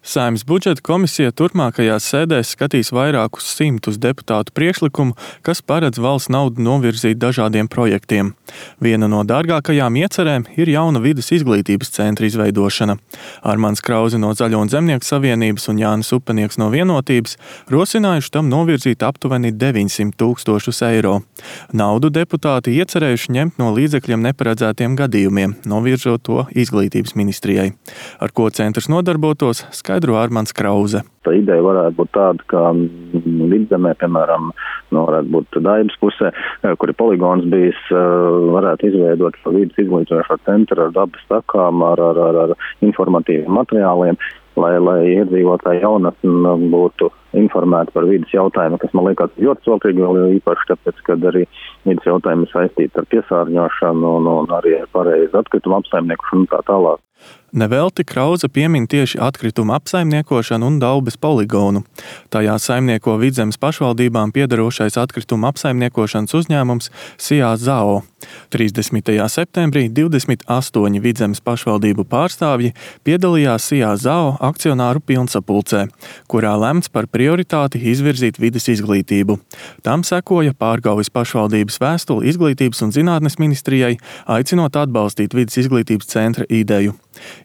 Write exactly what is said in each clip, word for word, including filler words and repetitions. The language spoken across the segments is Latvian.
Saeimas budžeta komisija turpmākajās sēdēs skatīs vairākus simtus deputātu priekšlikumu, kas paredz valsts naudu novirzīt dažādiem projektiem. Viena no dārgākajām iecerēm ir jauna vides izglītības centra izveidošana. Armands Krauze no Zaļo un Zemnieku savienības un Jānis Upenieks no Vienotības rosinājuši tam novirzīt aptuveni deviņsimt tūkstošus eiro. Naudu deputāti iecerējuši ņemt no līdzekļiem neparedzētiem gadījumiem, novirzot to izglītības ministrijai. Ar ko centrs nodarbotos, skaidro Armands Krauze. Tā ideja varētu būt tāda, ka Vidzemē, piemēram, no, varētu būt Daibas pusē, kur ir poligons bijis, varētu izveidot vides izglītojošo centru ar dabas takām, ar, ar, ar, ar informatīviem materiāliem, lai, lai iedzīvotāji jaunatni būtu informēti par vides jautājumu, kas man liekas ļoti svalīgi, jo īpaši tāpēc, kad arī vides jautājumi saistīti ar piesārņošanu un, un arī ar pareizu atkritumu apsaimniekošanu un tā tālāk. Nevelti Krauze piemin tieši atkritumu apsaimniekošanu un Daubes poligonu. Tajā saimnieko Vidzemes pašvaldībām piederošais atkritumu apsaimniekošanas uzņēmums Sijā Zao. trīsdesmitajā septembrī divdesmit astoņi Vidzemes pašvaldību pārstāvji piedalījās Sijā Zao akcionāru pilnsapulcē, kurā lemts par prioritāti izvirzīt vides izglītību. Tam sekoja Pārgaujas pašvaldības vēstule Izglītības un zinātnes ministrijai, aicinot atbalstīt vides izglītības centra ideju.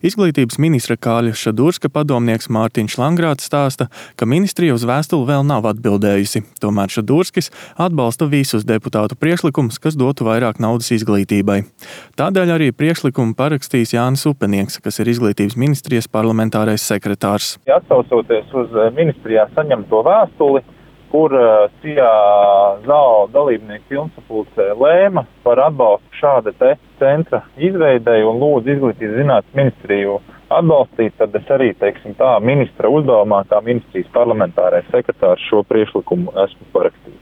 Izglītības ministra Kāļa Šadurska padomnieks Mārtiņš Langrāts stāsta, ka ministrija uz vēstuli vēl nav atbildējusi. Tomēr Šadurskis atbalsta visus deputātu priekšlikumus, kas dotu vairāk naudas izglītībai. Tādēļ arī priekšlikumu parakstīs Jānis Upenieks, kas ir Izglītības ministrijas parlamentārais sekretārs. Atsaucoties uz ministrijā saņemto vēstuli, kur Sijā Zao dalībnieku pilnsapulcē lēma par atbalstu šāda te centra izveidei un lūdzu Izglītības zinātnes ministriju atbalstīt, tad es arī, teiksim tā, ministra uzdevumā, kā ministrijas parlamentārais sekretārs šo priekšlikumu esmu parakstījis.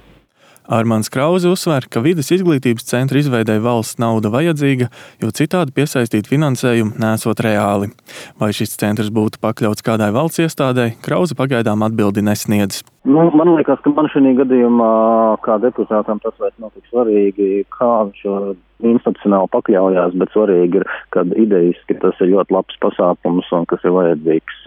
Armands Krauze uzsver, ka vides izglītības centra izveidei valsts nauda vajadzīga, jo citādi piesaistīt finansējumu nesot reāli. Vai šis centrs būtu pakļauts kādai valsts iestādei, Krauze pagaidām atbildi nesniedz. Nu, man liekas, ka man šī gadījumā, kā deputātam, tas vairs nav tik svarīgi, kā viņš institucionāli pakļaujās, bet svarīgi ir, kad idejiski tas ir ļoti labs pasākums un kas ir vajadzīgs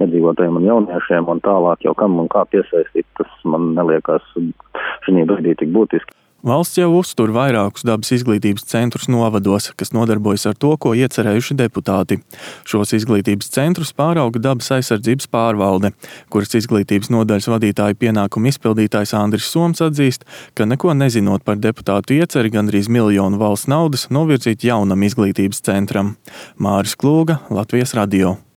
iedzīvotājiem un jauniešiem un tālāk jau kam un kā piesaistīt, tas man neliekas šī brīdī tik būtiski. Valsts jau uztur vairākus dabas izglītības centrus novados, kas nodarbojas ar to, ko iecerējuši deputāti. Šos izglītības centrus pārauga dabas aizsardzības pārvalde, kuras izglītības nodaļas vadītāja pienākumu izpildītājs Andris Soms atzīst, ka neko nezinot par deputātu ieceri gandrīz miljonu valsts naudas novirzīt jaunam izglītības centram. Māris Klūga, Latvijas radio.